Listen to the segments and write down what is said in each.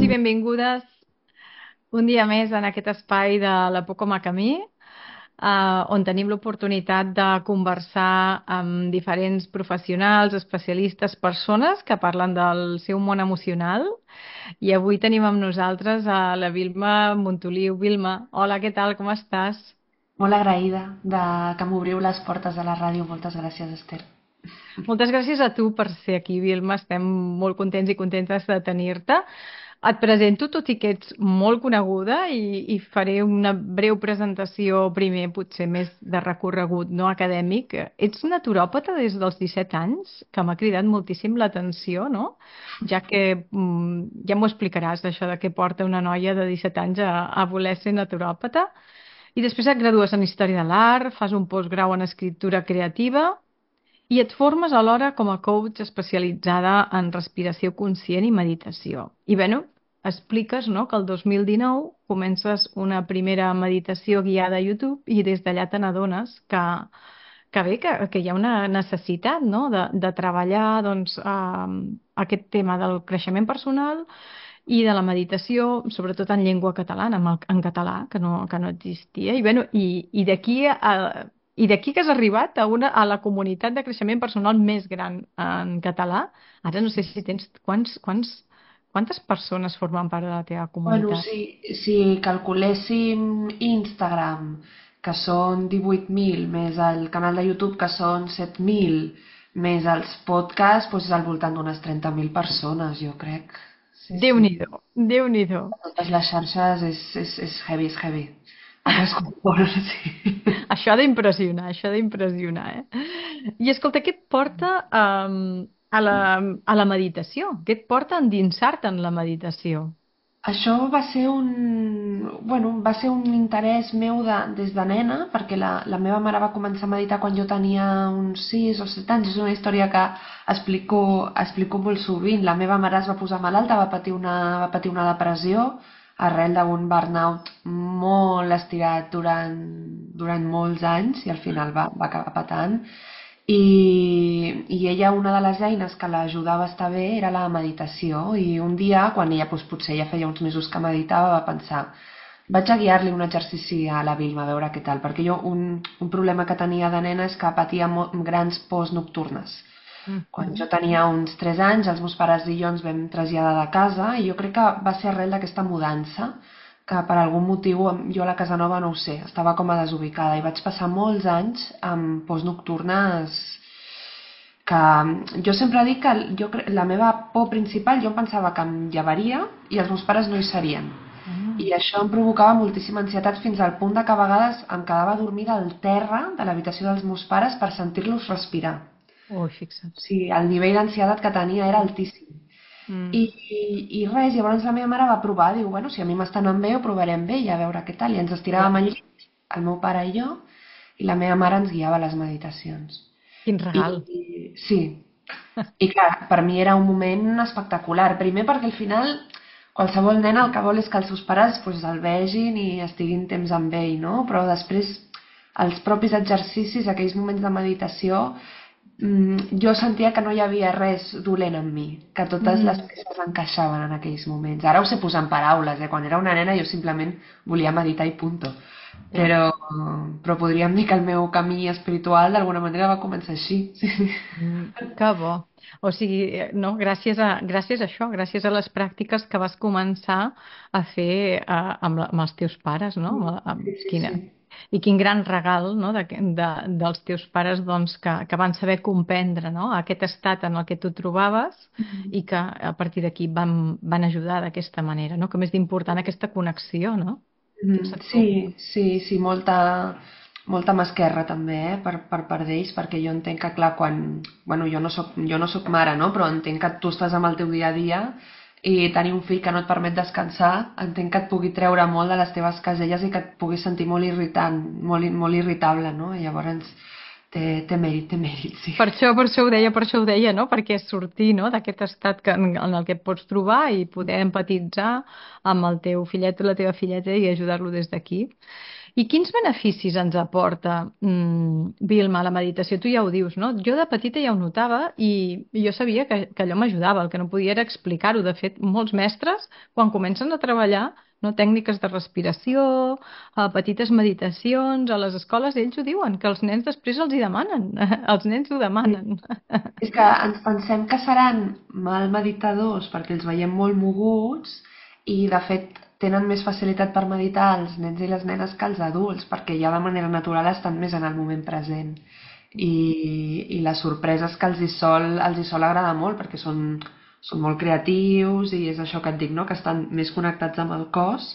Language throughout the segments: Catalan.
Benvinguts i benvingudes un dia més en aquest espai de la Pocoma Camí, on tenim l'oportunitat de conversar amb diferents professionals, especialistes, persones que parlen del seu món emocional. I avui tenim amb nosaltres a la Vilma Montoliu. Vilma, hola, què tal, com estàs? Molt agraïda de que m'obriu les portes de la ràdio. Moltes gràcies, Esther. Moltes gràcies a tu per ser aquí, Vilma. Estem molt contents i contentes de tenir-te. Et presento, tot i que ets molt coneguda, i faré una breu presentació primer, potser més de recorregut no acadèmic. Ets naturòpata des dels 17 anys, que m'ha cridat moltíssim l'atenció, no? Ja que ja m'ho explicaràs, això de què porta una noia de 17 anys a voler ser naturòpata. I després et gradues en Història de l'Art, fas un postgrau en Escriptura Creativa i et formes alhora com a coach especialitzada en respiració conscient i meditació. I bueno, expliques, no, que el 2019 comences una primera meditació guiada a YouTube i des d'allà te n'adones que bé, que hi ha una necessitat, no, de treballar doncs, aquest tema del creixement personal i de la meditació, sobretot en llengua catalana, en català, que no existia. I, bueno, i d'aquí que has arribat a la comunitat de creixement personal més gran en català. Ara no sé si tens... Quantes persones formen part de la teva Bueno, comunitat? si calculéssim Instagram, que són 18.000, més el canal de YouTube, que són 7.000, més els podcasts, doncs és al voltant d'unes 30.000 persones, jo crec. Sí, sí. Déu-n'hi-do, Déu-n'hi-do. Totes les xarxes és heavy, és heavy. Ha crescut molt, sí. Això ha d'impressionar, eh? I escolta, què et porta a la meditació? Què et porta a endinsar-te en la meditació? Això va ser va ser un interès meu des de nena, perquè la meva mare va començar a meditar quan jo tenia uns 6 o 7 anys. És una història que explico molt sovint. La meva mare es va posar malalta, va patir una depressió arrel d'un burnout molt estirat durant molts anys i al final va acabar patant. I ella, una de les eines que l'ajudava a estar bé era la meditació, i un dia, quan ella potser ja feia uns mesos que meditava, va pensar: vaig a guiar-li un exercici a la Vilma, a veure què tal, perquè jo un problema que tenia de nena és que patia grans pors nocturnes. Quan Mhm. jo tenia uns 3 anys, els meus pares i jo ens vam traslladar de casa, i jo crec que va ser arrel d'aquesta mudança que per algun motiu jo a la casa nova no ho sé, estava com a desubicada i vaig passar molts anys amb pors nocturnes que jo sempre dic que la meva por principal, jo em pensava que em llevaria i els meus pares no hi serien. Mm. I això em provocava moltíssima ansietat fins al punt de que a vegades em quedava dormida al terra de l'habitació dels meus pares per sentir-los respirar. Ui, fixa't. O sigui, el nivell d'ansietat que tenia era altíssim. I, Mm. i res, llavors la meva mare va provar, diu, bueno, si a mi m'està anant bé, ho provarem bé i a veure què tal. I ens Clar. estiràvem al llit, el meu pare i jo, i la meva mare ens guiava a les meditacions. Quin I regal. sí, i clar, per mi era un moment espectacular. Primer perquè al final qualsevol nen el que vol és que els seus pares pues, el vegin i estiguin temps amb ell, no? Però després els propis exercicis, aquells moments de meditació, jo sentia que no hi havia res dolent en mi, que totes les Mm. peces encaixaven en aquells moments. Ara ho sé posar en paraules, Quan era una nena jo simplement volia meditar i punto. Clar. Però podríem dir que el meu camí espiritual d'alguna manera va començar així. Sí. Que bo. O sigui, no, gràcies a això, gràcies a les pràctiques que vas començar a fer amb els teus pares, no? Sí, sí, Quina, sí. i quin gran regal, no? Dels teus pares, doncs, que van saber comprendre, no? Aquest estat en el que tu trobaves i que a partir d'aquí van ajudar d'aquesta manera, no? Com és d'important aquesta connexió, no? Pensa tu. Sí, sí, sí, molta mà esquerra també, per part d'ells, perquè jo entenc que, clar, bueno, jo no soc mare, no? Però entenc que tu estàs amb el teu dia a dia i tenir un fill que no et permet descansar, entenc que et pugui treure molt de les teves caselles i que et puguis sentir molt irritant, molt irritable, no? I llavors té mèrit, sí. Per això ho deia, no? Perquè sortir, no, d'aquest estat en el que et pots trobar i poder empatitzar amb el teu fillet o la teva filleta i ajudar-lo des d'aquí. I quins beneficis ens aporta, Vilma, la meditació? Tu ja ho dius, no? Jo de petita ja ho notava i jo sabia que allò m'ajudava, el que no podia era explicar-ho. De fet, molts mestres, quan comencen a treballar, no, tècniques de respiració, petites meditacions, a les escoles, ells ho diuen, que els nens després els hi demanen, els nens ho demanen. És que ens pensem que seran mal meditadors perquè els veiem molt moguts i, de fet, tenen més facilitat per meditar els nens i les nenes que els adults, perquè ja de manera natural estan més en el moment present. I les sorpreses que els hi sol agradar molt, perquè són molt creatius i és això que et dic, no? Que estan més connectats amb el cos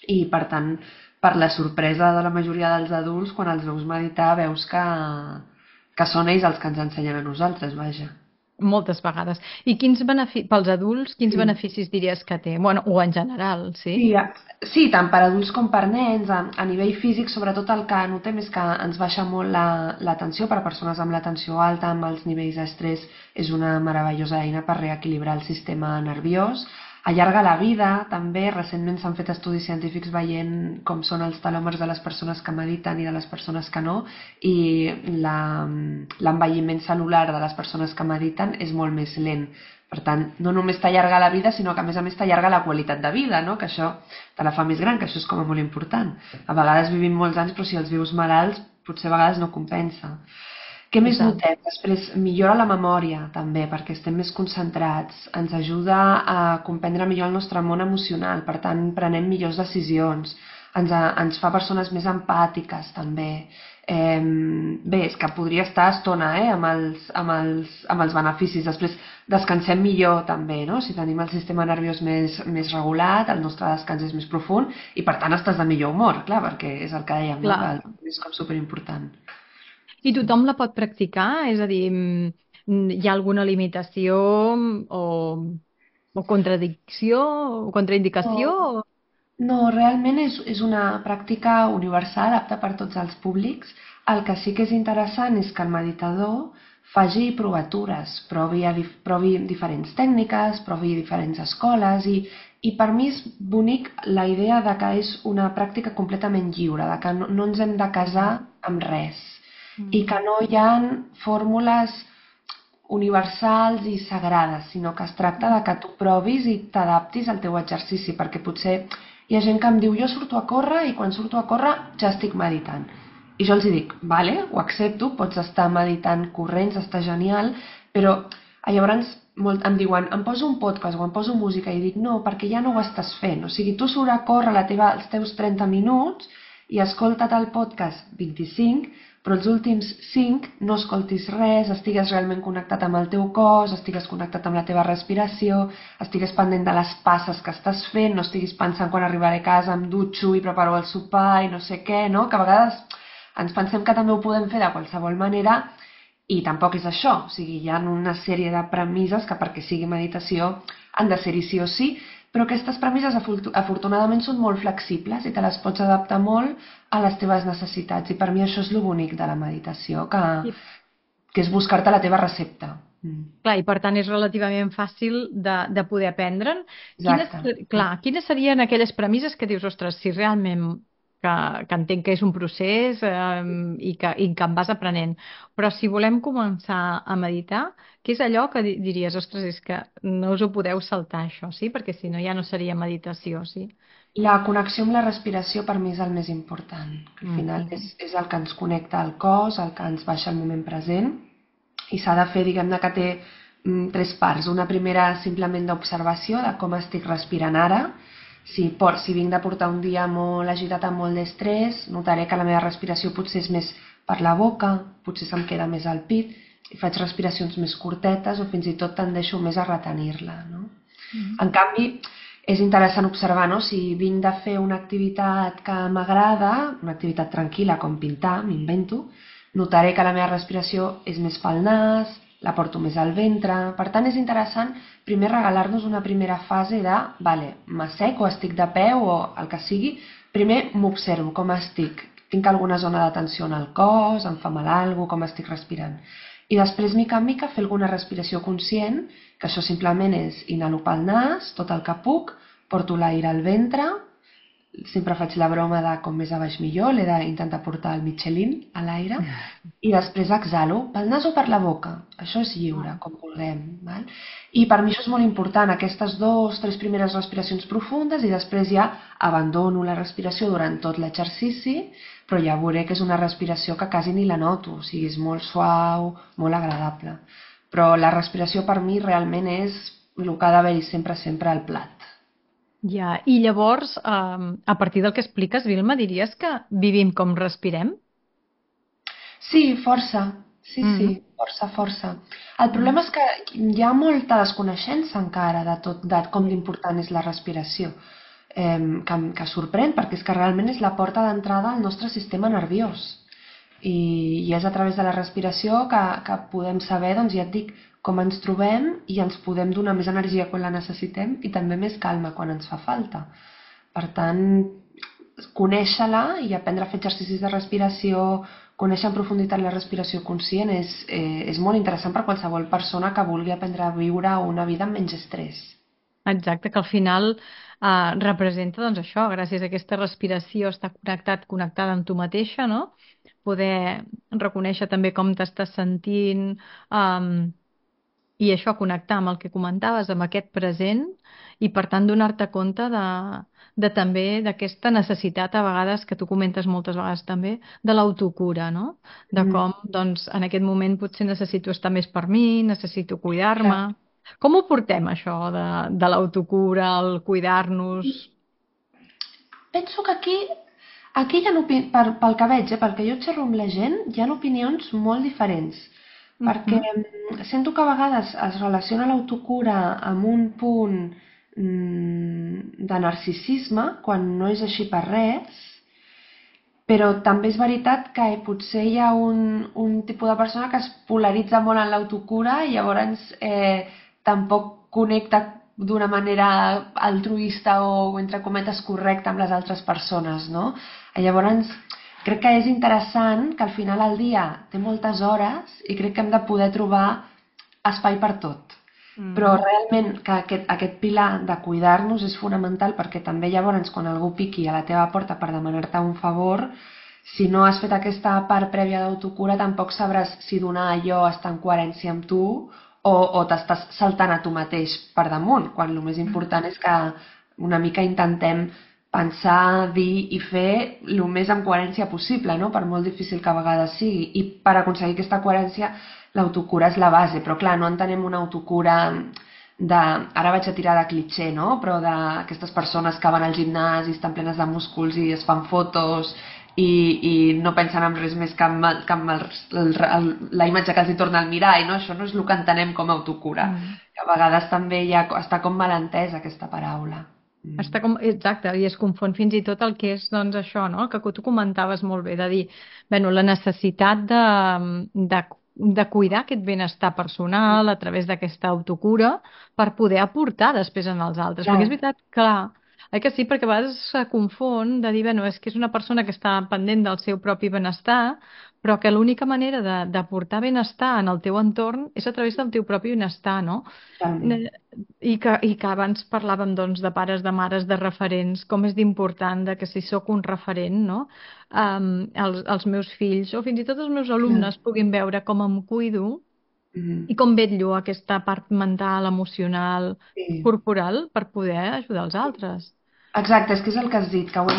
i, per tant, per la sorpresa de la majoria dels adults, quan els veus meditar, veus que són ells els que ens ensenyen a nosaltres, vaja. Moltes vegades. I pels adults, quins Sí. beneficis diries que té? Bueno, o en general, sí? Sí, sí, tant per adults com per nens. A nivell físic, sobretot el que notem és que ens baixa molt la tensió. Per a persones amb la tensió alta, amb els nivells d'estrès, és una meravellosa eina per reequilibrar el sistema nerviós. Allarga la vida, també. Recentment s'han fet estudis científics veient com són els telòmers de les persones que mediten i de les persones que no, i l'envelliment cel·lular de les persones que mediten és molt més lent. Per tant, no només t'allarga la vida, sinó que a més t'allarga la qualitat de vida, no? Que això te la fa més gran, que això és com a molt important. A vegades vivim molts anys, però si els vius malalts, potser a vegades no compensa. Què més notem? Després, millora la memòria, també, perquè estem més concentrats. Ens ajuda a comprendre millor el nostre món emocional, per tant, prenem millors decisions. Ens fa persones més empàtiques, també. Bé, és que podria estar estona amb els beneficis. Després, descansem millor, també, no? Si tenim el sistema nerviós més regulat, el nostre descans és més profund i, per tant, estàs de millor humor, clar, perquè és el que dèiem, no? Que és com superimportant. I tothom la pot practicar? És a dir, hi ha alguna limitació o contradicció o contraindicació? No, no, realment és una pràctica universal, apta per tots els públics. El que sí que és interessant és que el meditador faci provatures, provi diferents tècniques, provi diferents escoles i per mi és bonic la idea de que és una pràctica completament lliure, de que no ens hem de casar amb res i que no hi ha fórmules universals i sagrades, sinó que es tracta de que tu provis i t'adaptis al teu exercici, perquè potser hi ha gent que em diu jo surto a córrer i quan surto a córrer ja estic meditant. I jo els dic, vale, ho accepto, pots estar meditant corrents, està genial, però llavors em diuen, em poso un podcast o em poso música i dic, no, perquè ja no ho estàs fent. O sigui, tu surt a córrer els teus 30 minuts i escolta't el podcast 25, però els últims 5 no escoltis res, estigues realment connectat amb el teu cos, estigues connectat amb la teva respiració, estigues pendent de les passes que estàs fent, no estiguis pensant quan arribaré a casa em dutxo i preparo el sopar i no sé què, no? Que a vegades ens pensem que també ho podem fer de qualsevol manera i tampoc és això. O sigui, hi ha una sèrie de premisses que perquè sigui meditació han de ser-hi sí o sí, però aquestes premisses afortunadament són molt flexibles i te les pots adaptar molt a les teves necessitats i per mi això és el bonic de la meditació, que és buscar-te la teva recepta. Clar, i per tant és relativament fàcil de poder aprendre'n. Exacte. Quines serien aquelles premisses que dius, ostres, si realment que entenc que és un procés i que en vas aprenent, però si volem començar a meditar, què és allò que diries, ostres, és que no us ho podeu saltar això, sí? Perquè si no ja no seria meditació, sí? La connexió amb la respiració per mi és el més important. Al final és el que ens connecta al cos, el que ens baixa el moment present i s'ha de fer, diguem-ne que té 3 parts. Una primera simplement d'observació de com estic respirant ara. Si vinc de portar un dia molt agitat amb molt d'estrès, notaré que la meva respiració potser és més per la boca, potser se'm queda més al pit i faig respiracions més curtetes o fins i tot tendeixo més a retenir-la, no? En canvi, és interessant observar, no? Si vinc de fer una activitat que m'agrada, una activitat tranquil·la com pintar, m'invento, notaré que la meva respiració és més pel nas, la porto més al ventre. Per tant, és interessant primer regalar-nos una primera fase de, vale, m'assec o estic de peu o el que sigui, primer m'observo com estic, tinc alguna zona de tensió en el cos, em fa mal alguna cosa, com estic respirant. I després, mica en mica, fer alguna respiració conscient, que això simplement és inhalo pel nas, tot el que puc, porto l'aire al ventre, sempre faig la broma de com més a baix millor, l'he d'intentar portar el Michelin a l'aire, i després exhalo pel nas o per la boca. Això és lliure, com vulguem. Val? I per mi això és molt important, aquestes 2, 3 primeres respiracions profundes, i després ja abandono la respiració durant tot l'exercici, però ja veuré que és una respiració que quasi ni la noto, o sigui, és molt suau, molt agradable. Però la respiració per mi realment és el que ha d'haver-hi sempre, sempre al plat. Ja, i llavors, a partir del que expliques, Vilma, diries que vivim com respirem? Sí, força. Sí, sí, Mm, força, força. El mm, problema és que hi ha molta desconeixença encara de tot, de com d'important és la respiració, que sorprèn, perquè és que realment és la porta d'entrada al nostre sistema nerviós. I és a través de la respiració que podem saber, doncs ja et dic, com ens trobem i ens podem donar més energia quan la necessitem i també més calma quan ens fa falta. Per tant, conèixer-la i aprendre a fer exercicis de respiració, conèixer en profunditat la respiració conscient és molt interessant per qualsevol persona que vulgui aprendre a viure una vida amb menys estrès. exacte, que al final representa doncs això, gràcies a aquesta respiració, estar connectada amb tu mateixa, no? Poder reconèixer també com t'estàs sentint, i això, connectar amb el que comentaves, amb aquest present, i per tant donar-te compte de també d'aquesta necessitat a vegades, que tu comentes moltes vegades també, de l'autocura, no? De Mm, com, doncs, en aquest moment potser necessito estar més per mi, necessito clar. cuidar-me. Com ho portem, això de l'autocura, el cuidar-nos? Penso que aquí hi ha, pel que veig, pel que jo xerro amb la gent, hi ha opinions molt diferents. Perquè Mhm. sento que a vegades es relaciona l'autocura amb un punt de narcisisme, quan no és així per res, però també és veritat que potser hi ha un tipus de persona que es polaritza molt en l'autocura i llavors tampoc connecta d'una manera altruista o, entre cometes, correcta amb les altres persones, no? Llavors, crec que és interessant que al final el dia té moltes hores i crec que hem de poder trobar espai per tot. Però Mm. realment que aquest pilar de cuidar-nos és fonamental, perquè també llavors quan algú piqui a la teva porta per demanar-te un favor, si no has fet aquesta part prèvia d'autocura tampoc sabràs si donar allò està en coherència amb tu o t'estàs saltant a tu mateix per damunt, quan el més important és que una mica intentem pensar, dir i fer el més en coherència possible, no? Per molt difícil que a vegades sigui. I per aconseguir aquesta coherència l'autocura és la base, però clar, no entenem una autocura de, ara vaig a tirar de clitxer, no? Però d'aquestes persones que van al gimnàs i estan plenes de músculs i es fan fotos i no pensen en res més que la imatge que els hi torna al mirall, no? Això no és el que entenem com a autocura. Mm. Que a vegades també està com mal entesa aquesta paraula. Està com, exacte, i es confon fins i tot el que és, doncs, això, no? Que tu comentaves molt bé, de dir, bueno, la necessitat de, de cuidar aquest benestar personal a través d'aquesta autocura per poder aportar després en els altres. Perquè Clar, és veritat, clar, que sí, perquè a vegades se confon de dir, bueno, és que és una persona que està pendent del seu propi benestar, però que l'única manera d'aportar benestar en el teu entorn és a través del teu propi benestar, no? totalment. I que abans parlàvem doncs, de pares, de mares, de referents, com és d'important de que si sóc un referent, no? Els meus fills o fins i tot els meus Clar. alumnes puguin veure com em cuido Mhm. i com vetllo aquesta part mental, emocional, Sí. corporal per poder ajudar els altres. Exacte, és que és el que has dit, que ho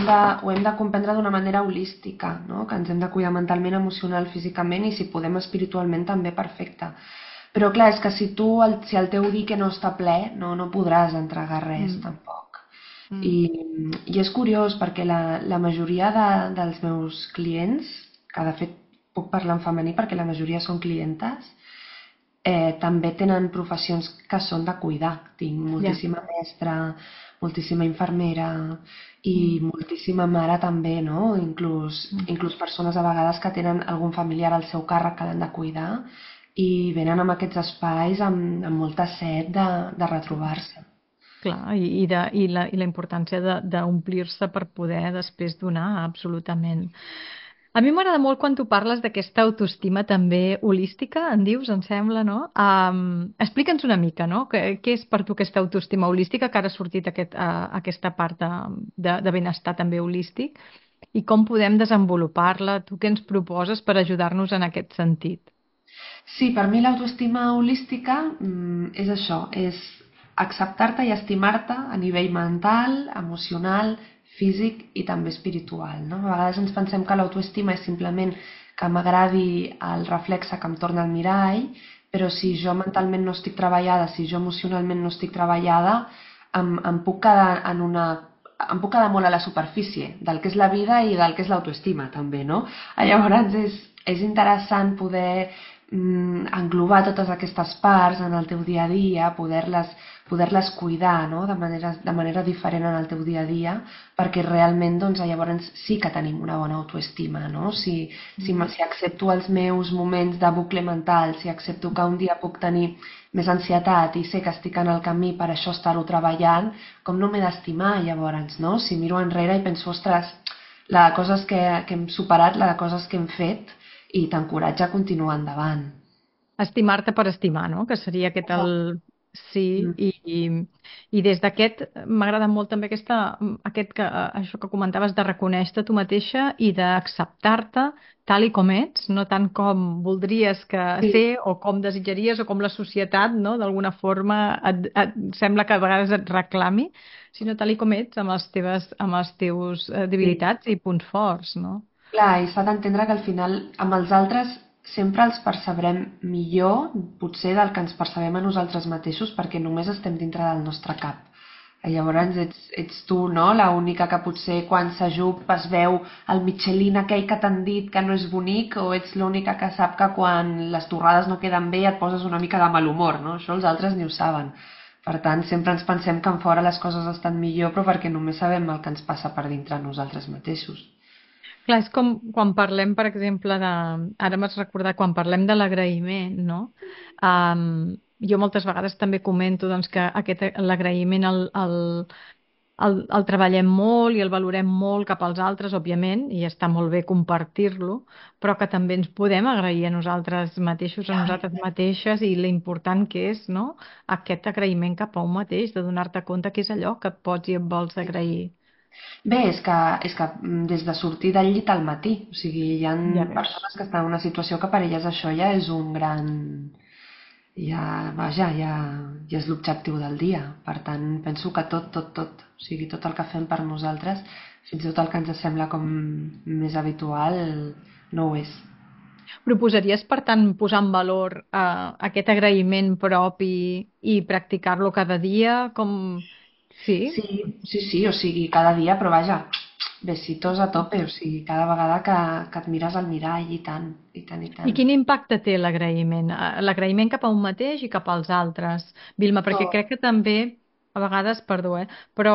hem de comprendre d'una manera holística, no? Que ens hem de cuidar mentalment, emocional, físicament i si podem espiritualment també perfecte. Però clar, és que si el teu dique no està ple, no podràs entregar res Mm, tampoc. I, mm, i és curiós perquè la majoria dels meus clients, que de fet puc parlar en femení perquè la majoria són clientes, també tenen professions que són de cuidar. Tinc ja. moltíssima mestra, moltíssima infermera i Mm, moltíssima mare també, no? mm. Inclús persones a vegades que tenen algun familiar al seu càrrec que l'han de cuidar i venen amb aquests espais amb molta set de retrobar-se. Clar, i la importància d'omplir-se per poder després donar, absolutament. A mi m'agrada molt quan tu parles d'aquesta autoestima també holística, en dius, em sembla, no? Explica'ns una mica, no? Què és per tu aquesta autoestima holística, que ara ha sortit aquesta part de benestar també holístic, i com podem desenvolupar-la? Tu què ens proposes per ajudar-nos en aquest sentit? Sí, per mi l'autoestima holística és això, és acceptar-te i estimar-te a nivell mental, emocional, físic i també espiritual, no? A vegades ens pensem que l'autoestima és simplement que m'agradi el reflexe que em torna al mirall, però si jo mentalment no estic treballada, si jo emocionalment no estic treballada, em puc quedar em puc quedar molt a la superfície del que és la vida i del que és l'autoestima també, no? Llavors és interessant poder englobar totes aquestes parts en el teu dia a dia, poder-les cuidar, no? De manera diferent en el teu dia a dia, perquè realment doncs, llavors sí que tenim una bona autoestima, no? Si accepto els meus moments de bucle mental, si accepto que un dia puc tenir més ansietat i sé que estic en el camí per això estar-ho treballant, com no m'he d'estimar llavors, no? Si miro enrere i penso, ostres, la de coses que hem superat, la de coses que hem fet, i t'encoratja a continuar endavant. Estimar-te per estimar, no? Que seria aquest el... Exacte. Sí, Mm. i des d'aquest m'agrada molt també això que comentaves de reconèixer-te tu mateixa i d'acceptar-te tal i com ets, no tant com voldries que Sí, ser o com desitjaries o com la societat, no? D'alguna forma sembla que a vegades et reclami, sinó tal i com ets amb els teus sí. debilitats i punts forts, no? Clar, i s'ha d'entendre que al final amb els altres sempre els percebrem millor, potser del que ens percebem a nosaltres mateixos, perquè només estem dintre del nostre cap. Llavors ets tu, no? La única que potser quan s'ajup es veu el Michelin aquell que t'han dit que no és bonic, o ets l'única que sap que quan les torrades no queden bé et poses una mica de mal humor, no? Això els altres ni ho saben. Per tant, sempre ens pensem que en fora les coses estan millor, però perquè només sabem el que ens passa per dintre nosaltres mateixos. Clar, és com quan parlem, per exemple, Ara m'has recordat, quan parlem de l'agraïment, no? Jo moltes vegades també comento doncs, que l'agraïment el treballem molt i el valorem molt cap als altres, òbviament, i està molt bé compartir-lo, però que també ens podem agrair a nosaltres mateixos, a nosaltres mateixes, i l'important que és, no? Aquest agraïment cap a un mateix, de donar-te compte que és allò que et pots i et vols agrair. Bé, és que des de sortir del llit al matí, o sigui, hi ha Ja veus. persones que estan en una situació que per elles això ja és un gran... ja és l'objectiu del dia. Per tant, penso que tot, o sigui, tot el que fem per nosaltres, fins i tot el que ens sembla com més habitual, no ho és. Proposaries, per tant, posar en valor aquest agraïment propi i practicar-lo cada dia? Com... Sí? Sí, o sigui, cada dia, però vaja, besitos a tope, o sigui, cada vegada que et mires al mirall, i tant, i tant, i I tant. quin impacte té l'agraïment? L'agraïment cap a un mateix i cap als altres, Vilma, perquè Tot. crec que també, a vegades, perdó, però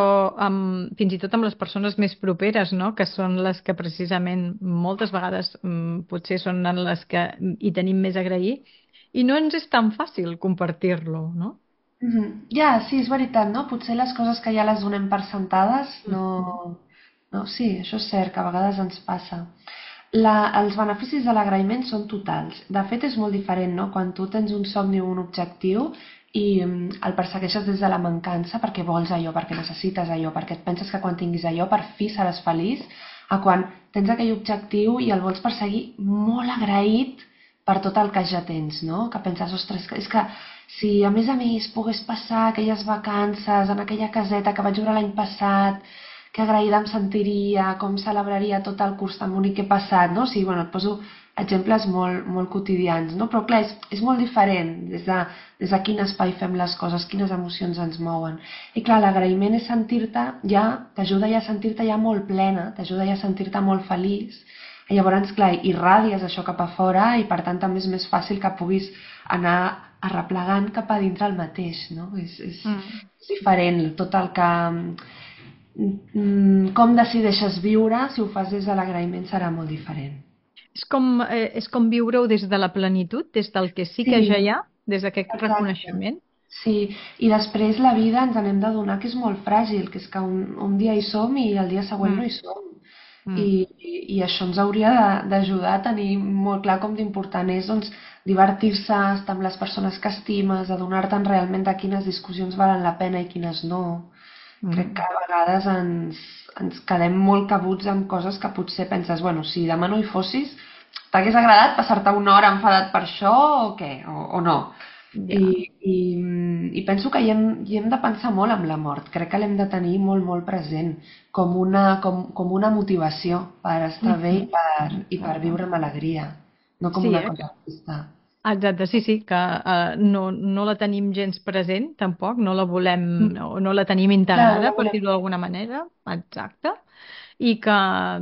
fins i tot amb les persones més properes, no? Que són les que precisament moltes vegades potser són en les que hi tenim més a agrair i no ens és tan fàcil compartir-lo, no? Ja, sí, és veritat, no? Potser les coses que ja les donem per sentades no... No, sí, això és cert, que a vegades ens passa. Els beneficis de l'agraïment són totals. De fet, és molt diferent, no? Quan tu tens un somni o un objectiu i el persegueixes des de la mancança perquè vols allò, perquè necessites allò, perquè et penses que quan tinguis allò per fi seràs feliç, a quan tens aquell objectiu i el vols perseguir molt agraït per tot el que ja tens, no? Que penses, ostres, és que si a més pogués passar aquelles vacances en aquella caseta que vaig veure l'any passat, que agraïda em sentiria, com celebraria tot el curs tan bonic que he passat, no? O sigui, bueno, et poso exemples molt quotidians, no? Però clar, és molt diferent des de quin espai fem les coses, quines emocions ens mouen. I clar, l'agraïment és sentir-te ja, t'ajuda ja a sentir-te ja molt plena, t'ajuda ja a sentir-te molt feliç, i llavors, clar, irradies això cap a fora i per tant també és més fàcil que puguis anar arreplegant cap a dintre el mateix, no? Mm. És diferent tot el que... com decideixes viure, si ho fas des de l'agraïment serà molt diferent. És com viure-ho des de la plenitud, des del que sí que ja Sí, hi ha, des d'aquest exacte. reconeixement. Sí, i després la vida ens n'hem d'adonar que és molt fràgil, que és que un dia hi som i el dia següent no Mm. hi som. Mm. i això ens hauria d'ajudar a tenir molt clar com d'important és doncs, divertir-se, estar amb les persones que estimes, adonar-te'n realment de quines discussions valen la pena i quines no. Crec que Mm. a vegades ens quedem molt cabuts amb coses que potser penses, bueno, si demà no hi fossis, t'hagués agradat passar-te una hora enfadat per això o què? O no? I, Ja. i, I penso que hi hem de pensar molt amb la mort. Crec que l'hem de tenir molt, molt present com una motivació per estar bé Mhm. i per viure amb alegria, no com Sí, una cosa trista. exacte, sí, sí, que no la tenim gens present, tampoc, no la volem, no la tenim Clar, no integrada, la per volem. dir-ho d'alguna manera, exacte, i que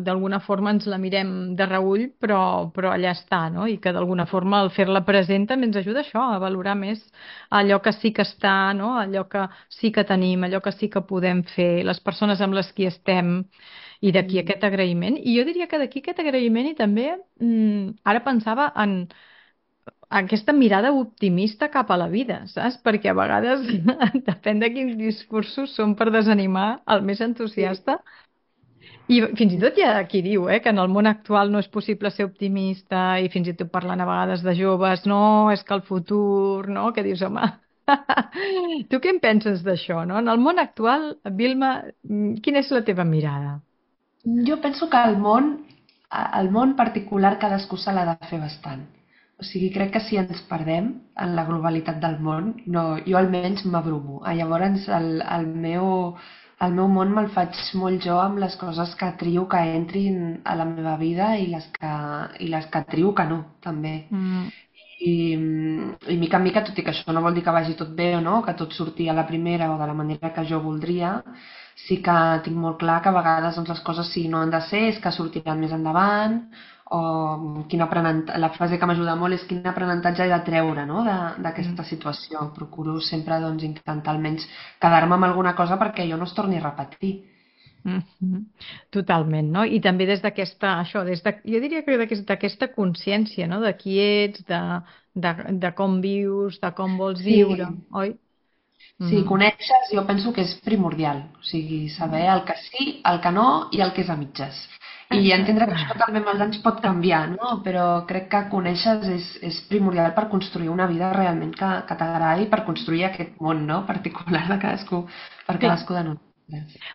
d'alguna forma ens la mirem de reüll, però allà està, no? I que d'alguna forma el fer-la present també ens ajuda a això, a valorar més allò que sí que està, no? Allò que sí que tenim, allò que sí que podem fer, les persones amb les qui estem, i d'aquí Mm. aquest agraïment. I jo diria que d'aquí aquest agraïment i també, ara pensava en aquesta mirada optimista cap a la vida, saps? Perquè a vegades, depèn de quins discursos són per desanimar el més Sí, entusiasta. I fins i tot hi ha qui diu que en el món actual no és possible ser optimista i fins i tot parlant a vegades de joves, no, és que el futur, no? Que dius, home, tu què en penses d'això, no? En el món actual, Vilma, quina és la teva mirada? jo penso que el món particular cadascú se l'ha de fer bastant. O sigui, crec que si ens perdem en la globalitat del món, no, jo almenys m'abrumo. Llavors el meu món me'l faig molt jo amb les coses que trio que entrin a la meva vida i les que trio que no, també. Mm, I mica en mica, tot i que això no vol dir que vagi tot bé o no, que tot surti a la primera o de la manera que jo voldria, sí que tinc molt clar que a vegades doncs, les coses si no han de ser és que sortiran més endavant o la frase que m'ajuda molt és quin aprenentatge he de treure no? mm. D'aquesta situació. Procuro sempre doncs, intentar almenys quedar-me amb alguna cosa perquè jo no es torni a repetir. Mhm. Totalment, no? I també des d'aquesta, això, jo diria que d'aquesta consciència, no? De qui ets, de com vius, de com vols viure, Sí, oi? si Mhm. coneixes, jo penso que és primordial. O sigui, saber el que sí, el que no i el que és a mitges. I entendre Exacte. que això també amb els anys pot canviar, no? Però crec que conèixer és primordial per construir una vida realment que t'agradi, per construir aquest món, no? Particular de cadascú, per Sí, cadascú de nosaltres.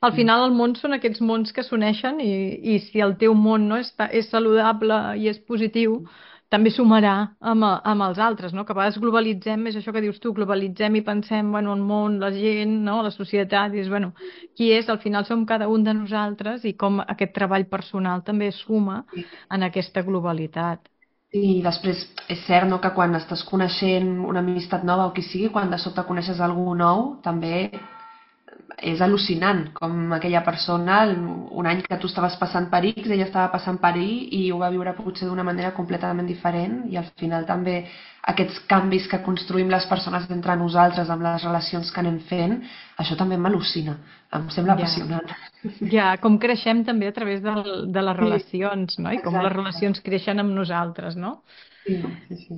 al final el món són aquests mons que s'uneixen i si el teu món no és saludable i és positiu, també sumarà amb els altres, no? Que a vegades globalitzem, és això que dius tu, globalitzem i pensem, bueno, el món, la gent, no? La societat, i dius, bueno, qui és? Al final som cada un de nosaltres i com aquest treball personal també suma Sí. en aquesta globalitat. I després és cert no, que quan estàs coneixent una amistat nova o qui sigui, quan de sobte coneixes algú nou, també és al·lucinant com aquella persona, un any que tu estaves passant per X, ella estava passant per Y i ho va viure potser d'una manera completament diferent i al final també aquests canvis que construïm les persones entre nosaltres amb les relacions que anem fent, això també m'al·lucina, em sembla Ja. apassionant. Ja, com creixem també a través de les Sí, relacions, no? I com les exacte. relacions creixen amb nosaltres, no? Sí, sí, sí.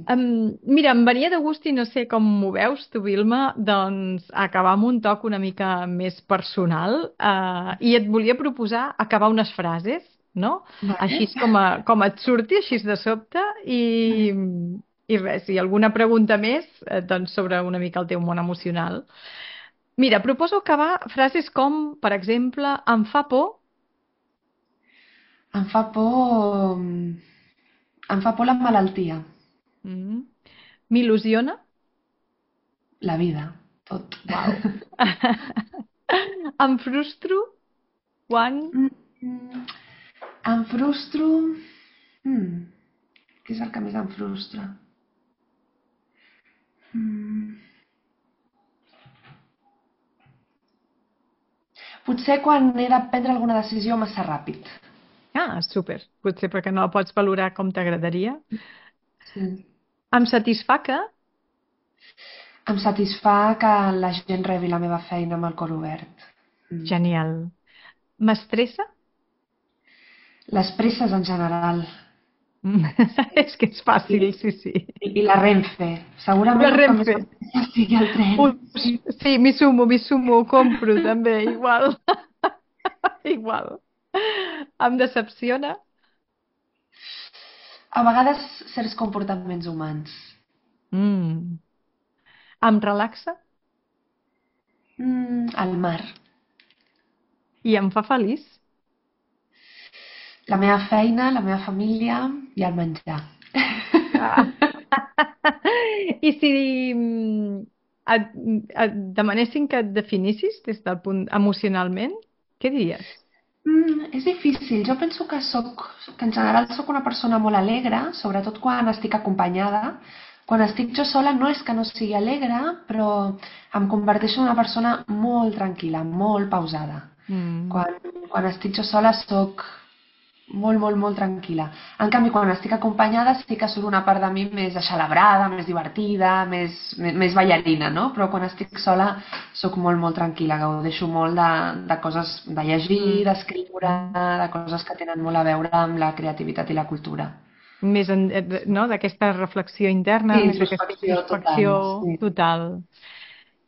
Mira, em venia de gust i no sé com m'ho veus tu, Vilma, doncs acabar amb un toc una mica més personal i et volia proposar acabar unes frases, no? Així Vale. com et surti, així de sobte i res, i alguna pregunta més doncs sobre una mica el teu món emocional. Mira, proposo acabar frases com, per exemple, em fa por. Em fa por... Em fa por la malaltia, Mm, m'il·lusiona. la vida, tot. Uau. Em frustro quan... Mm, mm, Em frustro... Mm, què és el que més em frustra? Mm, Potser quan he de prendre alguna decisió massa ràpid. Ah, súper. Potser perquè no la pots valorar com t'agradaria. Sí. Em satisfà que... Em satisfà que la gent rebi la meva feina amb el cor obert. Mm. Genial. M'estressa? Les presses en general. Mm. És que és I, fàcil, sí, sí. i la Renfe. La Segurament el que més Renfe. m'estressa sigui el tren. Ui, sí, m'hi sumo, ho compro també, igual. Igual. Em decepciona. A vegades certs comportaments humans. Mm. Em relaxa El mar. i em fa feliç. La meva feina, la meva família i el menjar. Ah. I si et, et demanessin que et definissis des del punt emocionalment, què diries? És difícil. Jo penso que en general sóc una persona molt alegre, sobretot quan estic acompanyada. Quan estic jo sola no és que no sigui alegre, però em converteixo en una persona molt tranquil·la, molt pausada. Mm. Quan, quan estic jo sola sóc molt, molt, molt tranquil·la. En canvi, quan estic acompanyada sí que surt una part de mi més aixelebrada, més divertida, més ballarina, no? Però quan estic sola sóc molt, molt tranquil·la, gaudeixo molt de coses, de llegir, Mm. d'escriure, de coses que tenen molt a veure amb la creativitat i la cultura. Més no? D'aquesta reflexió Sí, interna, més d'aquesta introspecció total, introspecció sí. total.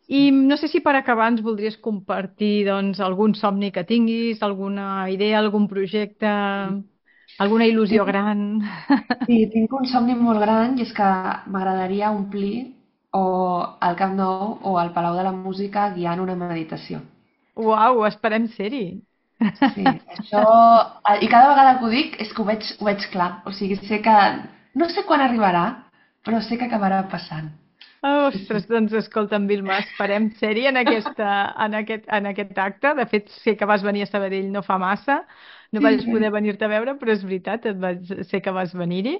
I no sé si per acabar ens voldries compartir doncs, algun somni que tinguis, alguna idea, algun projecte, alguna il·lusió Tinc, gran. sí, tinc un somni molt gran i és que m'agradaria omplir o el Camp Nou o el Palau de la Música guiant una meditació. Uau, esperem ser-hi. Sí, això... I cada vegada que ho dic és que ho veig clar. O sigui, sé que... No sé quan arribarà, però sé que acabarà passant. Oh, Sí, sí. ostres, doncs escolta, en Vilma, esperem ser-hi en aquest acte. De fet, sé que vas venir a Sabadell no fa massa, no Sí, vaig poder venir-te a veure, però és veritat, sé que vas venir-hi.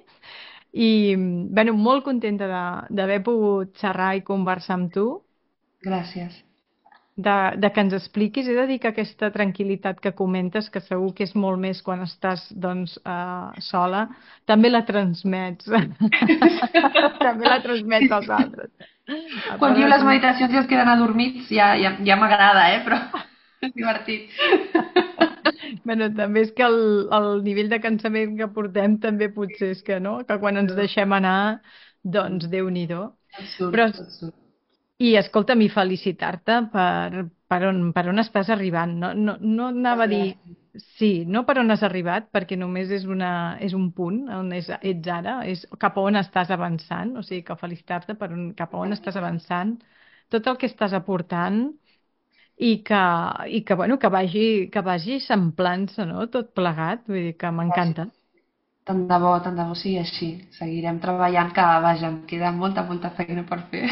I, bueno, molt contenta d'haver pogut xerrar i conversar amb tu, gràcies. de que ens expliquis. He de dir que aquesta tranquil·litat que comentes, que segur que és molt més quan estàs doncs, sola, també la transmets. També la transmets als altres. A Quan part diu de les tu. meditacions i es queden adormits, ja m'agrada, però és divertit. Bueno, també és que el nivell de cansament que portem també potser és que no, que quan ens deixem anar, doncs Déu-n'hi-do. Et surt, Però et surt. i escolta'm, i felicitar-te per on estàs arribant. No, no, no anava a dir Gràcies. sí, no per on has arribat, perquè només és un punt on ets ara, és cap a on estàs avançant, o sigui que felicitar-te cap a on estàs avançant, tot el que estàs aportant i que, bueno, que vagi eixamplant-se, no? Tot plegat, vull dir que Gràcies. m'encanta. Tant de bo sigui així. Seguirem treballant, que vaja, em queda molta, molta feina per fer.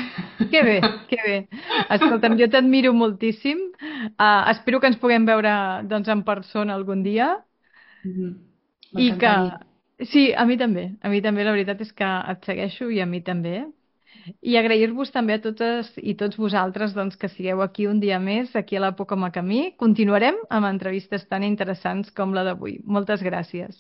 Que bé, que bé. Escolta'm, jo t'admiro moltíssim. Espero que ens puguem veure doncs, en persona algun dia Mhm. i que... M'encantaria. Sí, a mi també. A mi també, la veritat és que et segueixo i a mi també. I agrair-vos també a totes i tots vosaltres doncs, que sigueu aquí un dia més, aquí a l'Època Camí. Continuarem amb entrevistes tan interessants com la d'avui. Moltes gràcies.